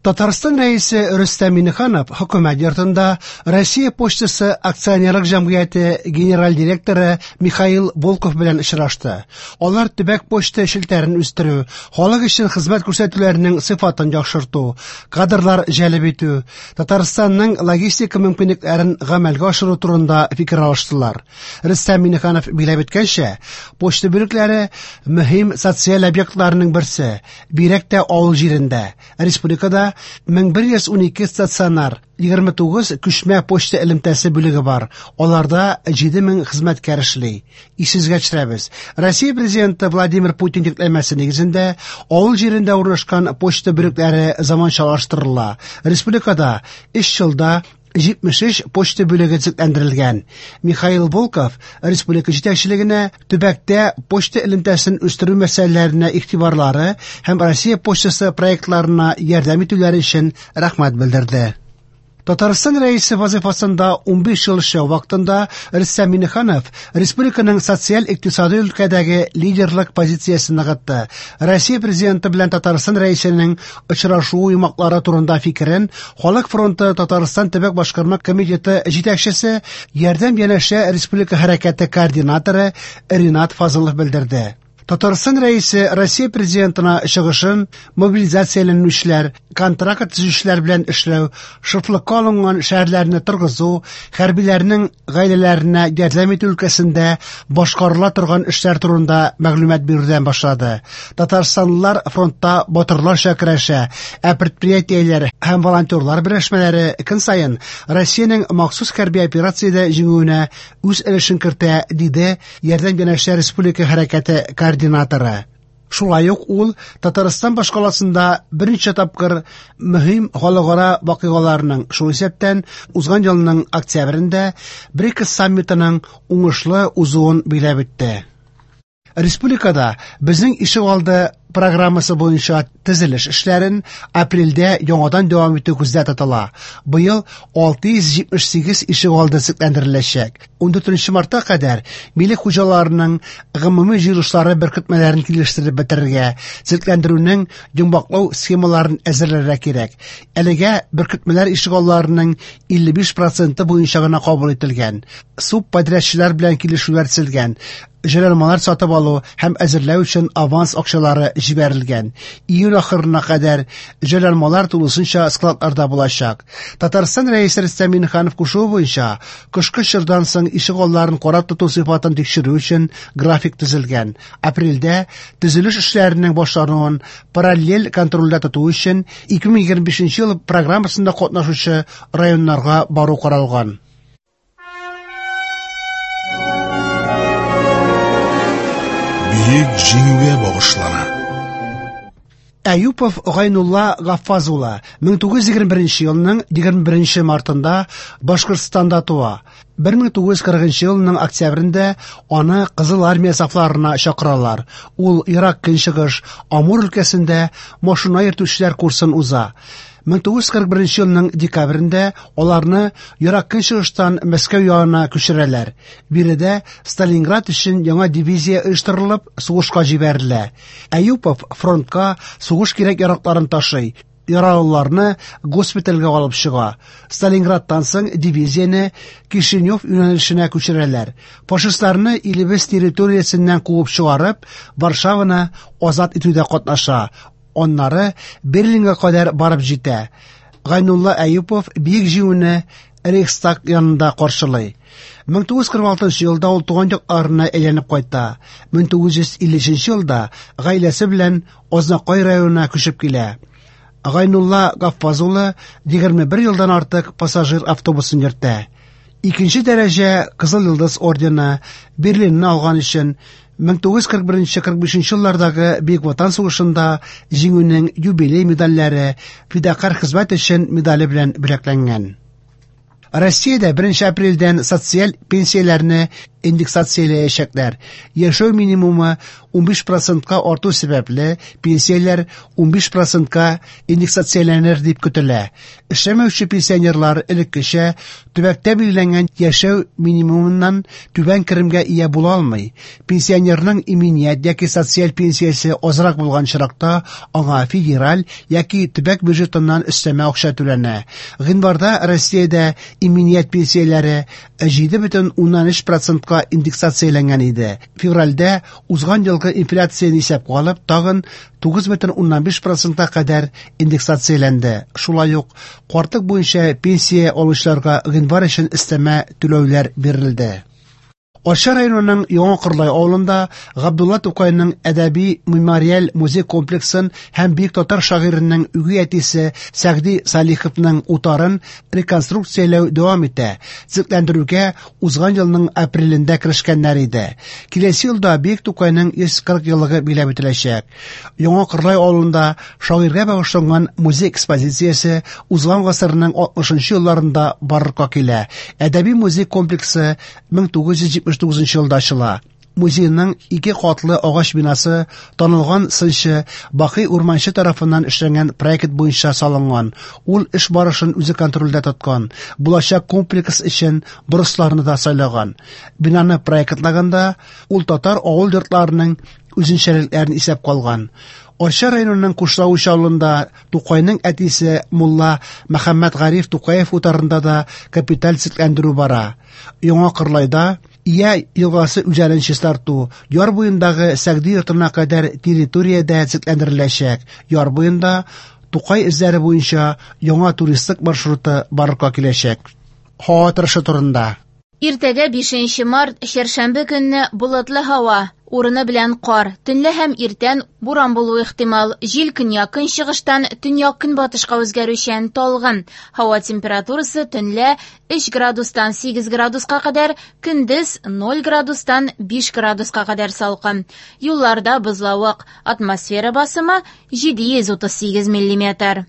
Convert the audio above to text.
Татарстан Рәисе Рөстәм Миңнеханов Хөкүмәт йортында Россия почтасы акционерлык җәмгыяте генераль директоры Михаил Волков белән очрашты. Алар төбәк почта челтәрен үстерү, халык өчен хезмәт күрсәтүләрнең сыйфатын яхшырту, кадрлар җәлеп итү, Татарстанның логистика мөмкинлекләрен гамәлгә ашыру турында фикер алыштылар. Рөстәм Миңнеханов билгеләп үткәнчә, почта бүлекләре мөһим социаль объектларның берсе, бигрәк тә авыл җирендә. Республикада 1112 стационар, 29 күчмә почта элемтәсе бүлеге бар. Аларда 7000 хезмәткәр эшли. Исегезгә төшерәбез. Россия Президенты Владимир Путин йөкләмәсе нигезендә авыл җирендә урнашкан почта бүлекләре заманчалаштырыла. Республикада 3 елда 73 почта бүлеге төзекләндерелгән. Михаил Волков республика җитәкчелегенә төбәктә почта элемтәсен үстерү мәсьәләләренә игътибарлары һәм Россия почтасы проектларына ярдәм итүләре өчен рәхмәт белдерде. Татарстан Рәисе вазифасында 15 ел эшләү вакытында Рөстәм Миңнеханов республиканың социаль-икътисади өлкәдәге лидерлык позициясен ныгытты. Россия Президенты белән Татарстан Рәисенең очрашуы йомгаклары турында фикерен Халык фронты Татарстан төбәк башкарма комитеты җитәкчесе, Ярдәм янәшә республика хәрәкәте координаторы Ринат Фазылов белдерде. Татарстан Рәисе Россия Президентына чыгышын мобилизацияләнүчеләр, контракт төзүчеләр белән эшләү, шефлыкка алынган шәһәрләрне торгызу, хәрбиләрнең гаиләләренә ярдәм итү өлкәсендә башкарыла торган эшләр турында мәгълүмат бирүдән башлады. Татарстанлылар фронтта батырларча көрәшә, ә предприятиеләр һәм волонтерлар берләшмәләре көн саен Россиянең махсус хәрби операциядә җиңүенә үз өлешен кертә, диде Ярдәм янәшә республика хәрәкәте координаторы. Шулай ук ул Татарстан башкаласында берничә тапкыр мөһим халыкара вакыйгаларның, шул исәптән узган елның октябрендә БРИКС саммитының уңышлы узуын билгеләп үтте. Республикада Безнең ишегалды программасы буенча төзелеш эшләрен апрельдә яңадан дәвам итү күздә тотыла. Быел 678 ишегалды төзекләндереләчәк. 14 мартка кадәр милек хуҗаларының гомуми җыелышлары беркетмәләрен килештереп бетерергә, төзекләндерүнең йомгаклау схемаларын әзерләргә кирәк. Әлегә беркетмәләр ишегалларының 55 проценты буенча гына кабул ителгән. Субподрядчылар белән килешүләр төзелгән. Җайланмалар сатып алу һәм әзерләү өчен аванс акчалары җибәрелгән. Июнь ахырына кадәр җайланмалар тулысынча складларда булачак. Татарстан Рәисе Рөстәм Миңнеханов кушуы буенча, кышкы чордан соң ишегалларын карап тоту сыйфатын тикшерү өчен график төзелгән. Апрельдә төзелеш эшләренең башлануын параллель контрольдә тоту өчен 2025 ел программасында катнашучы районнарга бару каралган. Бөек Җиңүгә багышлана. Әюпов Гайнулла Гаффаз улы 1921 елның 21 мартында Башкортстанда туа. 1940 елның октябрендә аны Кызыл Армия сафларына чакыралар. Ул Ерак Көнчыгыш Амур өлкәсендә машина йөртүчеләр курсын уза. 1941 елның декабрендә аларны Ерак Көнчыгыштан Мәскәү янына күчерәләр. Биредә Сталинград өчен яңа дивизия оештырылып, сугышка җибәрелә. Әюпов фронтка сугыш кирәк-яракларын ташый, яралыларны госпитальгә алып чыга. Сталинградтан соң дивизияне Кишинев юнәлешенә күчерәләр. Фашистларны илебез территориясеннән куып чыгарып, Варшаваны азат итүдә катнаша. Аннары Берлинга кадәр барып җитә. Гайнулла Әюпов Бөек Җиңүне Рейхстаг янында каршылый. 1946 елда ул туган якларына әйләнеп кайта. 1953 елда гаиләсе белән Азнакай районына күчеп килә. Гайнулла Гаффаз улы 21 елдан артык пассажир автобусын йөртә. Икенче дәрәҗә Кызыл Йолдыз ордены, Берлинны алган өчен 1941-45 еллардагы Бөек Ватан сугышында Җиңүнең юбилей медальләре, Фидакарь хезмәт өчен медале белән бүләкләнгән. Россиядә 1 апрельдән социаль пенсияләрне индексацияләячәкләр. Яшәү минимумы 15 процентка арту сәбәпле, пенсияләр 15 процентка индексацияләнер дип көтелә. Эшләмәүче пенсионерлар элеккечә төбәктә билгеләнгән яшәү минимумыннан түбән керемгә ия була алмый. Пенсионерның иминият яки социаль пенсиясе азрак булган очракта аңа федераль яки төбәк бюджетыннан өстәмә акча түләнә. Гыйнварда Россиядә иминият пенсияләре 7,3 процентка индексацияләнгән иде. Февральдә узган елгы инфляцияне исәпкә алып, тагын 9,5 процентка кадәр индексацияләнде. Шулай ук картлык буенча пенсия алучыларга гыйнвар өчен өстәмә түләүләр бирелде. Арча районының Яңа Кырлай авылында Габдулла Тукайның әдәби мемориаль музей комплексын һәм бөек татар шагыйренең үги әтисе Сәгъди Салиховның утарын реконструкцияләү дәвам итә. Төзекләндерүгә узган елның апрелендә керешкәннәр иде. Киләсе елда бөек Тукайның 140 еллыгы билгеләп үтеләчәк. Яңа Кырлай авылында шагыйрьгә багышланган музей экспозициясе узган гасырның 60 елларында барлыкка килә. Әдәби музей комплексы 1979 елда ачыла. Музейның ике катлы агач бинасы танылган сынчы Бакый Урманче тарафыннан эшләнгән проект буенча салынган. Ул эш барышын үзе контрольдә тоткан. Булачак комплекс өчен борысларны да сайлаган. Бинаны проектлаганда ул татар авыл йортларының үзенчәлекләрен исәпкә алган. Арча районының Кушлавыч авылында Тукайның әтисе мулла Мөхәммәт Гариф Тукаев утарында да капиталь төзекләндерү бара. Яңа Кырлайда Ия елгасы үзәнен чистарту, яр буендагы Сәгъди йортына кадәр территориядә төзекләндереләчәк. Яр буенда Тукай эзләре буенча яңа туристлык маршруты барлыкка киләчәк. Һава торышы турында. Иртәгә 5 март, чәршәмбе көнне болытлы һава, урыны белән кар, төнлә һәм иртән буран булуы ихтимал. Җил көньяк-көнчыгыштан төньяк-көнбатышка үзгәрүчән, талгын. Һава температурасы төнлә 3 градустан 8 градуска кадәр, көндез 0 градустан 5 градуска кадәр салкын. Юлларда бозлавык, атмосфера басымы 738 миллиметр.